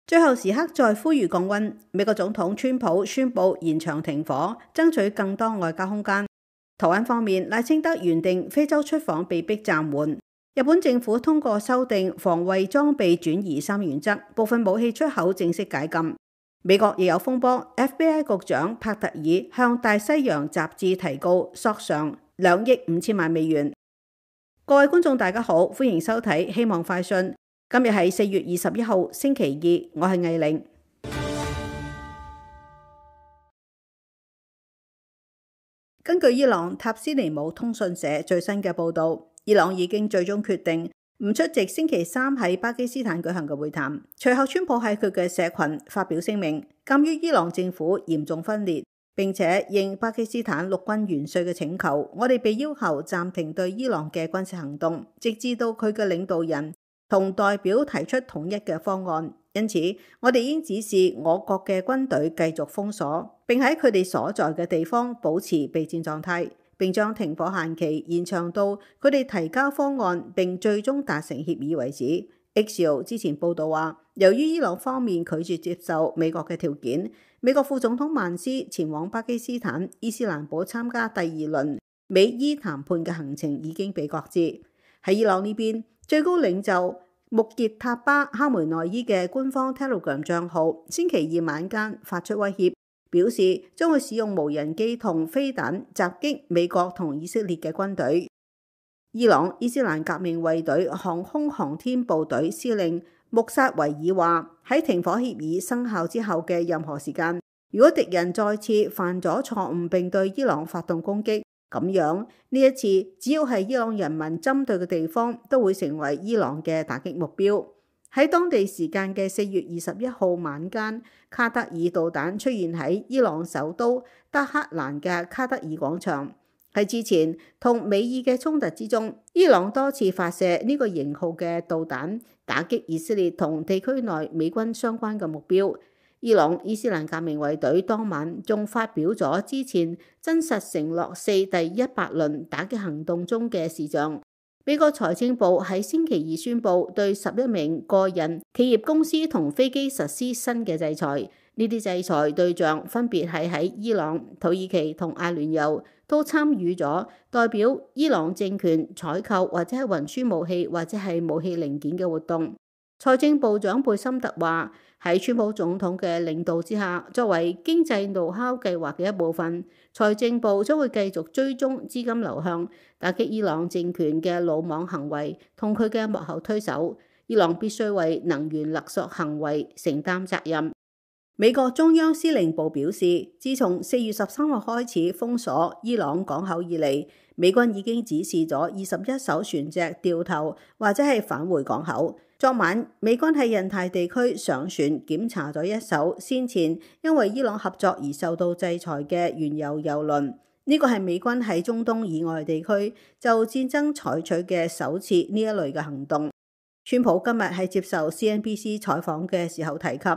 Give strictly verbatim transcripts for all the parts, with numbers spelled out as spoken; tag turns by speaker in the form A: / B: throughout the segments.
A: 最後時刻再呼籲降溫，美國總統川普宣布延長停火，爭取更多外交空間。台灣方面，賴清德原定非洲出訪被迫暫緩。日本政府通過修訂防衛裝備轉移三原則，部分武器出口正式解禁。美國亦有風波 ，F B I 局長帕特爾向大西洋雜誌提告，索償兩億五千萬美元。各位觀眾大家好，歡迎收睇希望快訊。今日係四月二十一號星期二，我係魏玲。根據伊朗塔斯尼姆通訊社最新嘅報導，伊朗已經最終決定唔出席星期三喺巴基斯坦舉行嘅會談。隨後，川普喺佢嘅社群發表聲明，鑑於伊朗政府嚴重分裂，並且應巴基斯坦陸軍元帥嘅請求，我哋被要求暫停對伊朗嘅軍事行動，直至到佢嘅領導人同代表提出統一嘅方案。因此，我哋已經指示我國嘅軍隊繼續封鎖，並喺佢哋所在嘅地方保持備戰狀態，並將停火限期延長到佢哋提交方案並最終達成協議為止。Axios 之前報道話，由於伊朗方面拒絕接受美國嘅條件，美國副總統曼斯前往巴基斯坦伊斯蘭堡參加第二輪美伊談判嘅行程已經被擱置。喺伊朗呢邊，最高領袖穆傑塔巴哈梅內伊嘅官方 Telegram 帳號星期二晚間發出威脅，表示將會使用無人機同飛彈襲擊美國同以色列嘅軍隊。伊朗伊斯蘭革命衛隊航空航天部隊司令穆薩維爾話，喺停火協議生效之後嘅任何時間，如果敵人再次犯咗錯誤並對伊朗發動攻擊，咁樣呢一次只要係伊朗人民針對嘅地方，都會成為伊朗嘅打擊目標。喺當地時間嘅四月二十一號晚間，卡德爾導彈出現喺伊朗首都德黑蘭嘅卡德爾廣場。喺之前同美伊嘅衝突之中，伊朗多次發射呢個型號嘅導彈，打擊以色列同地區內美軍相關嘅目標。伊朗伊斯蘭革命衛隊當晚仲發表咗之前真實承諾四第一百輪打擊行動中嘅視像。美國財政部喺星期二宣布對十一名個人、企業公司同飛機實施新嘅制裁。呢啲制裁對象分別係喺伊朗、土耳其同阿聯酋都參與咗代表伊朗政權採購或者係運輸武器或者係武器零件嘅活動。財政部長貝森特話，喺川普總統嘅領導之下，作為經濟怒敲計劃嘅一部分，財政部將會繼續追蹤資金流向，打擊伊朗政權嘅魯莽行為同佢嘅幕後推手。伊朗必須為能源勒索行為承擔責任。美國中央司令部表示，自從四月十三號開始封鎖伊朗港口以嚟，美軍已經指示咗二十一艘船隻掉頭或者係返回港口。昨晚，美軍喺印太地區上船檢查咗一艘先前因為伊朗合作而受到制裁嘅原油油輪。呢個係美軍喺中東以外地區就戰爭採取嘅首次呢一類嘅行動。川普今日喺接受 C N B C 採訪嘅時候提及，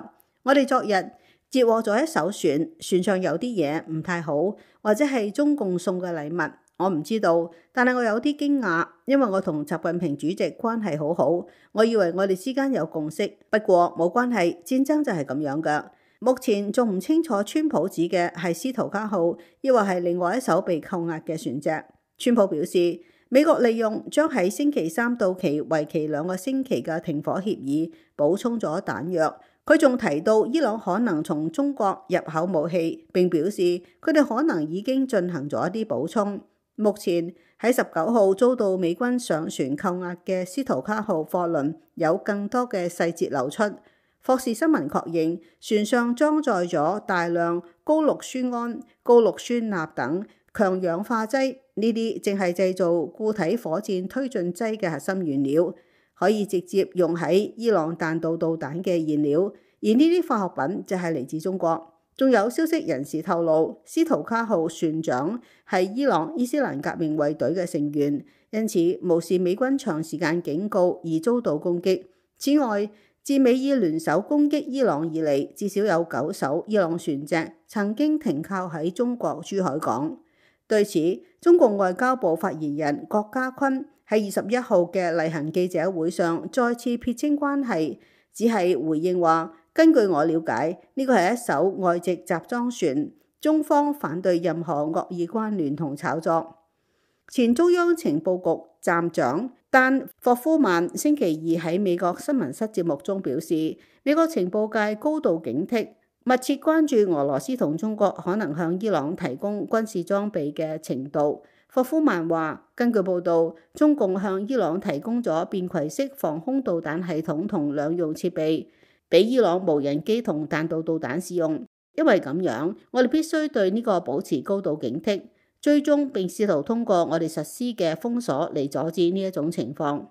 A: 我哋昨日截獲咗一艘船，船上有啲嘢唔太好，或者係中共送嘅禮物。我唔知道，但係我有啲驚訝，因為我同習近平主席關係好好，我以為我哋之間有共識。不過冇關係，戰爭就係咁樣㗎。目前仲唔清楚川普指嘅係斯圖加號，抑或係另外一艘被扣押嘅船隻。川普表示，美國利用將喺星期三到期、為期兩個星期嘅停火協議，補充咗彈藥。佢仲提到伊朗可能從中國入口武器，並表示佢哋可能已經進行咗一啲補充。目前喺十九號遭到美軍上船扣押嘅斯圖加號貨輪有更多嘅細節流出。霍士新聞確認船上裝載咗大量高氯酸銨、高氯酸鈉等強氧化劑，呢啲正係製造固體火箭推進劑嘅核心原料，可以直接用喺伊朗彈道導彈嘅燃料，而呢啲化學品就係嚟自中國。仲有消息人士透露，斯圖加號船長係伊朗伊斯蘭革命衛隊嘅成員，因此無視美軍長時間警告而遭到攻擊。此外，自美伊聯手攻擊伊朗以嚟，至少有九艘伊朗船隻曾經停靠喺中國珠海港。對此，中共外交部發言人郭家坤喺二十一號嘅例行記者會上再次撇清關係，只係回應話根據我了解，呢個係一艘外籍集裝船，中方反對任何惡意關聯同炒作。前中央情報局站長丹霍夫曼星期二喺美國新聞室節目中表示，美國情報界高度警惕，密切關注俄羅斯同中國可能向伊朗提供軍事裝備嘅程度。霍夫曼話，根據報道，中共向伊朗提供咗便攜式防空導彈系統同兩用設備，俾伊朗無人機同彈道導彈使用。因為咁樣，我哋必須對呢個保持高度警惕，追蹤並試圖通過我哋實施嘅封鎖嚟阻止呢一種情況。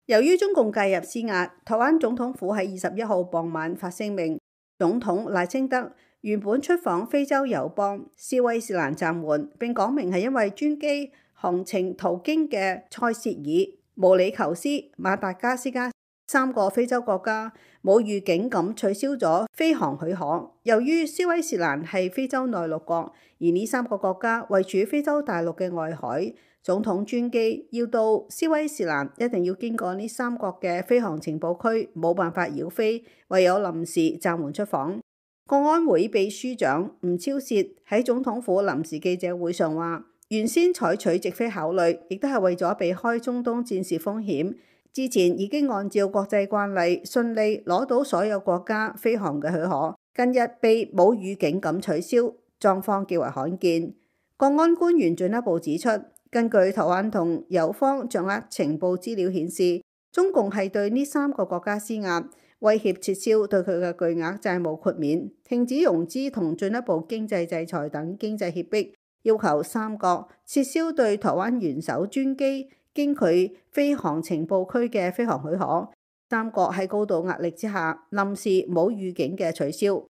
A: 由於中共介入施壓，台灣總統府喺二十一號傍晚發聲明，總統賴清德原本出訪非洲友邦斯威士蘭暫緩，並講明係因為專機航程途經嘅塞舌爾、毛里求斯、馬達加斯加三個非洲國家冇預警咁取消咗飛航許可。由於斯威士蘭係非洲內陸國，而呢三個國家位處非洲大陸嘅外海，總統專機要到斯威士蘭一定要經過呢三國嘅飛航情報區，冇辦法繞飛，唯有臨時暫緩出訪。國安會秘書長吳釗燮喺總統府臨時記者會上話，原先採取直飛考慮，亦都係為咗避開中東戰事風險。之前已經按照國際慣例，順利攞到所有國家飛航嘅許可，近日被冇預警咁取消，狀況極為罕見。國安官員進一步指出，根據台灣同友方掌握情報資料顯示，中共係對呢三個國家施壓，威脅撤銷對佢嘅巨額債務豁免、停止融資同進一步經濟制裁等經濟脅迫，要求三國撤銷對台灣元首專機經佢飛航情報區嘅飛航許可。三國喺高度壓力之下，臨時冇預警嘅取消。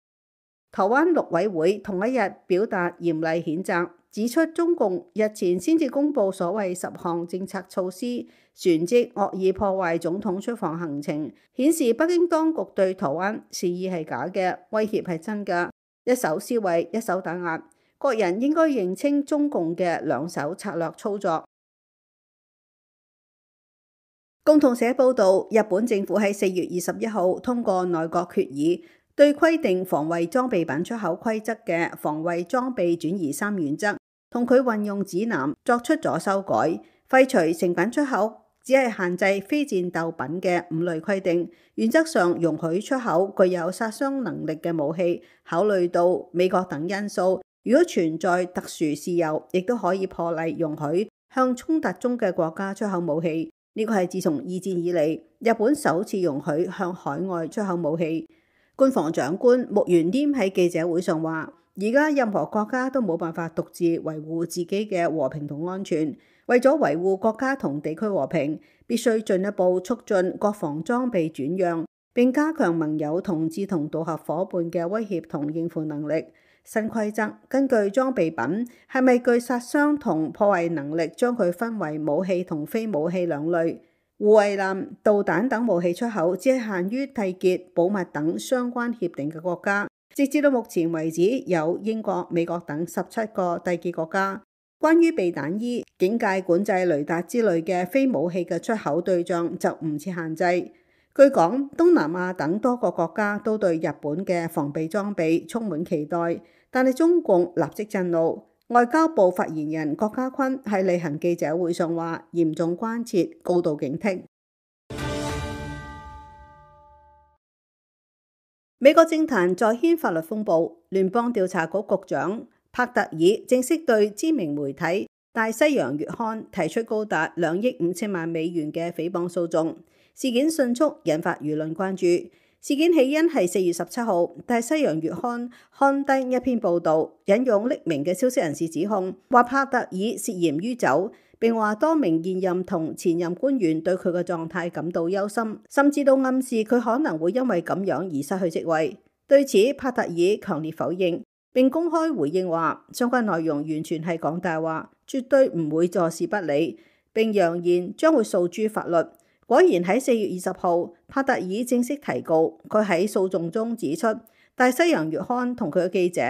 A: 台灣陸委會同一日表達嚴厲譴責，指出中共日前先至公布所謂十項政策措施，旋即惡意破壞總統出訪行程，顯示北京當局對台灣示意係假嘅，威脅係真嘅，一手撕毀，一手打壓。國人應該認清中共嘅兩手策略操作。共同社報導，日本政府喺四月二十一號通過內閣決議，對規定防衛裝備品出口規則嘅防衛裝備轉移三原則同佢運用指南作出咗修改，廢除成品出口只係限制非戰鬥品嘅五類規定，原則上容許出口具有殺傷能力嘅武器。考慮到美國等因素，如果存在特殊事由，亦都可以破例容許向衝突中嘅國家出口武器。呢個係自從二戰以嚟，日本首次容許向海外出口武器。官房長官木原稔喺記者會上話，而家任何國家都冇辦法獨自維護自己嘅和平同安全，為咗維護國家同地區和平，必須進一步促進國防裝備轉讓，並加強盟友同志同道合夥伴嘅威脅同應付能力。新規則根據裝備品係咪具殺傷同破壞能力，將佢分為武器同非武器兩類。護衛艦、導彈等武器出口只係限於締結保密等相關協定嘅國家。直至到目前為止，有英國、美國等十七個締結國家。關於避彈衣、警戒管制雷達之類嘅非武器嘅出口對象就唔設限制。據講，東南亞等多個國家都對日本嘅防備裝備充滿期待，但係中共立即震怒。外交部發言人郭家坤喺例行記者會上話，嚴重關切，高度警惕。美國政壇再掀法律風暴，聯邦調查局局長帕特爾正式對知名媒體大西洋月刊提出高達兩億五千萬美元嘅誹謗訴訟。事件迅速引發輿論關注。事件起因係四月十七號，大西洋月刊刊登一篇報導，引用匿名嘅消息人士指控，話帕特爾涉嫌酗酒，並話多名現任同前任官員對佢嘅狀態感到憂心，甚至都暗示佢可能會因為咁樣而失去職位。對此，帕特爾強烈否認，並公開回應話，相關內容完全係講大話，絕對唔會坐視不理，並揚言將會訴諸法律。果然喺四月二十號，帕特爾正式提告。佢喺訴訟中指出，大西洋月刊同佢嘅記者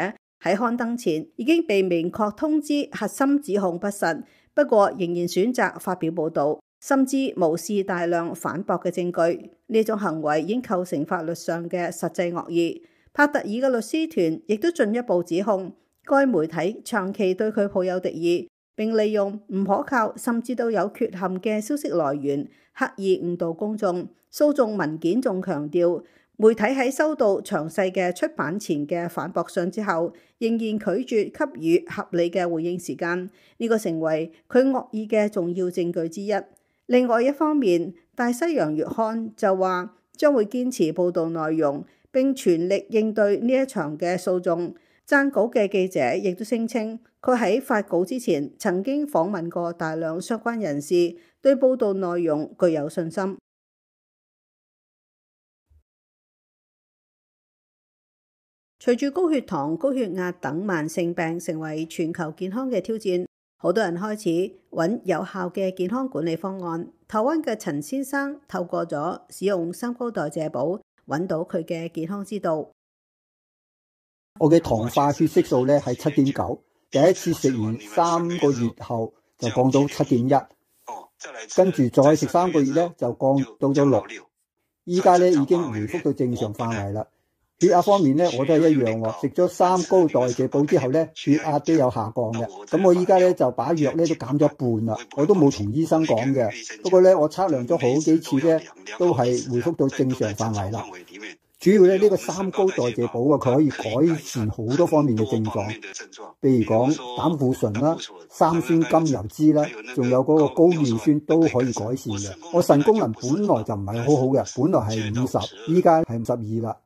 A: 喺刊登前已經被明確通知核心指控不實，不過仍然選擇發表報導。甚至無視大量反駁嘅證據。呢種行為已經構成法律上嘅實際惡意。帕特爾嘅律師團亦都進一步指控該媒體長期對佢抱有敵意，並利用唔可靠甚至都有缺陷嘅消息來源，刻意誤導公眾。訴訟文件仲強調，媒體喺收到詳細嘅出版前嘅反駁信之後，仍然拒絕給予合理嘅回應時間，呢個成為佢惡意嘅重要證據之一。另外一方面，大西洋月刊就話將會堅持報導內容，並全力應對呢一場嘅訴訟。撰稿嘅記者亦都聲稱，佢喺發稿之前曾經訪問過大量相關人士，對報導內容具有信心。隨住高血糖、高血壓等慢性病成為全球健康嘅挑戰，好多人開始揾有效嘅健康管理方案。台灣嘅陳先生透過咗使用三高代謝寶，揾到佢嘅健康之道。
B: 我嘅糖化血色素咧係七點九，第一次食完三個月後就降到七點一，跟住再食三個月咧就降到咗六，依家咧已經回復到正常範圍啦。血壓方面咧，我都係一樣喎。食咗三高代謝寶之後咧，血壓都有下降嘅。咁我依家咧就把藥咧都減咗一半啦。我都冇同醫生講嘅。不過咧，我測量咗好幾次咧，都係回復到正常範圍啦。主要咧呢個三高代謝寶啊，佢可以改善好多方面嘅症狀，譬如講膽固醇啦、三酸甘油酯啦，仲有嗰個高尿酸都可以改善嘅。我腎功能本來就唔係好好嘅，本來係五十，依家係五十二啦。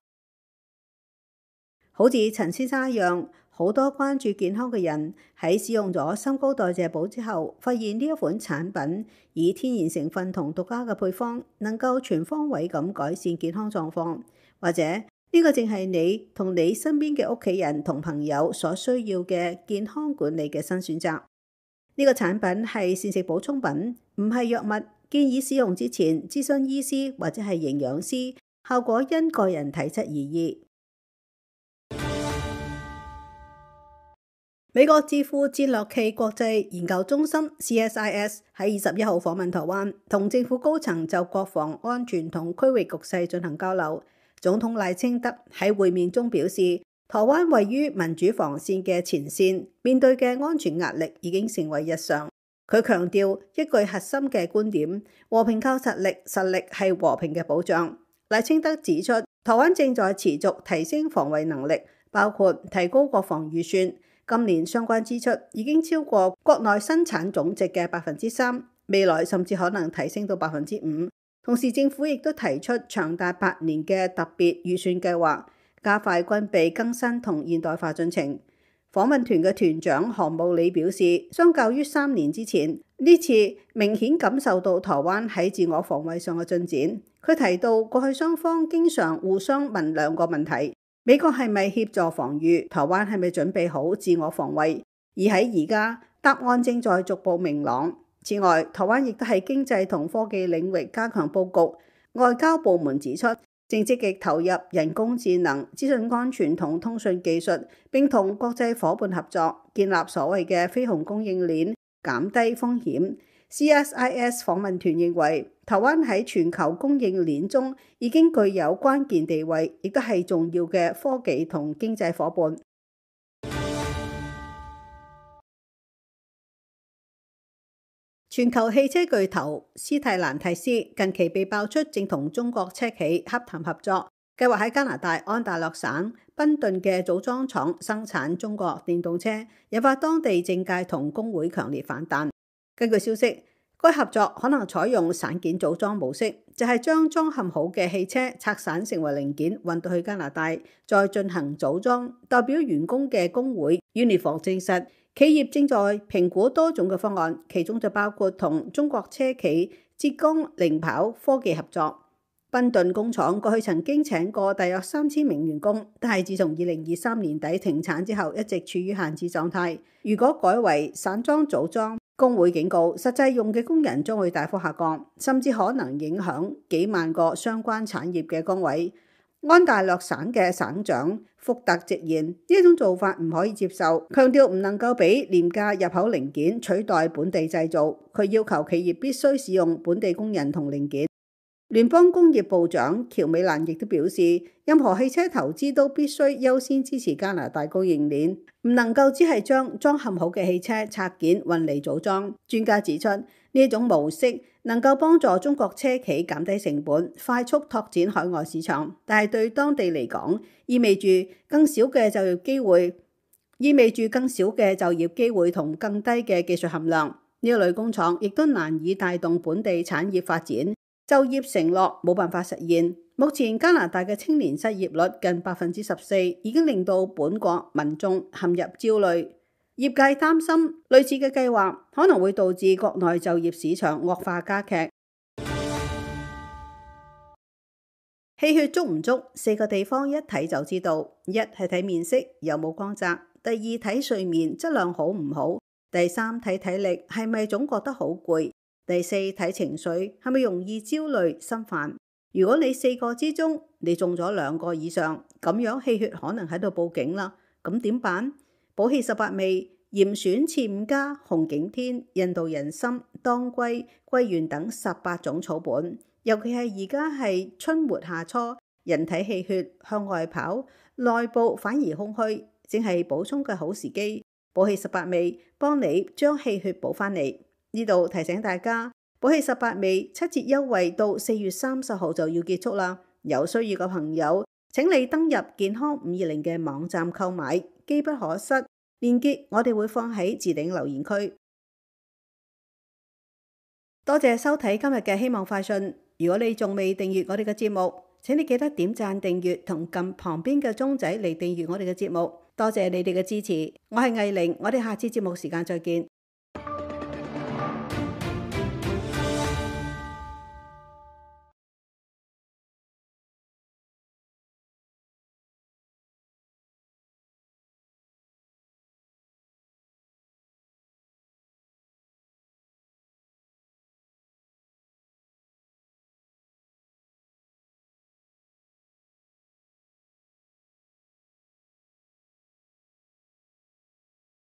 A: 好似陳先生一樣，好多關注健康嘅人喺使用咗三高代謝寶之後，發現呢一款產品以天然成分同獨家嘅配方，能夠全方位咁改善健康狀況，或者呢個正係你同你身邊嘅屋企人同朋友所需要嘅健康管理嘅新選擇。呢個產品係膳食補充品，唔係藥物，建議使用之前諮詢醫師或者係營養師，效果因個人體質而異。美國智庫戰略暨國際研究中心 C S I S 喺二十一號訪問台灣，同政府高層就國防安全同區域局勢進行交流。總統賴清德喺會面中表示，台灣位於民主防線嘅前線，面對嘅安全壓力已經成為日常。佢強調一句核心嘅觀點：和平靠實力，實力係和平嘅保障。賴清德指出，台灣正在持續提升防衛能力，包括提高國防預算。今年相關支出已經超過國內生產總值嘅百分之三，未來甚至可能提升到百分之五。同時，政府亦都提出長達八年嘅特別預算計劃，加快軍備更新同現代化進程。訪問團嘅團長韓慕理表示，相較於三年之前，呢次明顯感受到台灣喺自我防衛上嘅進展。佢提到，過去雙方經常互相問兩個問題。美國係咪協助防禦？台灣係咪準備好自我防衛？而喺而家，答案正在逐步明朗。此外，台灣亦都喺經濟同科技領域加強佈局。外交部門指出，正積極投入人工智能、資訊安全同通訊技術，並同國際夥伴合作，建立所謂嘅非紅供應鏈，減低風險。C S I S 訪問團認為，台灣喺全球供應鏈中已經具有關鍵地位，亦都係重要嘅科技同經濟夥伴。全球汽車巨頭斯蒂蘭提斯近期被爆出正同中國車企洽談合作，計劃喺加拿大安大略省賓頓嘅組裝廠生產中國電動車，引發當地政界同工會強烈反彈。根據消息，該合作可能採用散件組裝模式，就係將裝嵌好嘅汽車拆散成為零件，運到去加拿大，再進行組裝。代表員工嘅工會 Unifor 證實，企業正在評估多種嘅方案，其中就包括同中國車企浙江零跑科技合作。賓頓工廠過去曾經請過大約三千名員工，但係自從二零二三年底停產之後，一直處於閒置狀態。如果改為散裝組裝，工會警告，實際用嘅工人將會大幅下降，甚至可能影響幾萬個相關產業嘅崗位。安大略省嘅省長福特直言，呢一種做法唔可以接受，強調唔能夠俾廉價入口零件取代本地製造。佢要求企業必須使用本地工人同零件。聯邦工業部長喬美蘭亦都表示，任何汽車投資都必須優先支持加拿大供應鏈，唔能夠只係將裝嵌好嘅汽車拆件運嚟組裝。專家指出，呢一種模式能夠幫助中國車企減低成本，快速拓展海外市場，但係對當地嚟講，意味住更少嘅就業機會，意味住更少嘅就業機會同更低嘅技術含量。呢一類工廠亦都難以帶動本地產業發展，就業承諾冇辦法實現。目前加拿大嘅青年失業率近百分之十四，已經令到本國民眾陷入焦慮。業界擔心類似嘅計劃可能會導致國內就業市場惡化加劇。氣血足唔足，四個地方一睇就知道：一係睇面色有冇光澤；第二睇睡眠質量好唔好；第三睇體力係咪總覺得好攰；第四睇情緒係咪容易焦慮心煩。如果你四個之中你中咗兩個以上，咁樣氣血可能喺度報警啦。咁點辦？補氣十八味、嚴選次五加、紅景天、印度人參、當歸、桂圓等十八種草本，尤其係而家係春末夏初，人體氣血向外跑，內部反而空虛，正係補充嘅好時機。補氣十八味幫你將氣血補翻嚟。呢度提醒大家，補氣十八味七折優惠到四月三十號就要結束啦。有需要嘅朋友，請你登入健康五二零嘅網站購買，機不可失。鏈接我哋會放喺置頂留言區。多謝收睇今日嘅希望快訊。如果你仲未訂閱我哋嘅節目，請你記得點讚訂閱同撳旁邊嘅鐘仔嚟訂閱我哋嘅節目。多謝你哋嘅支持，我係藝玲，我哋下次節目時間再見。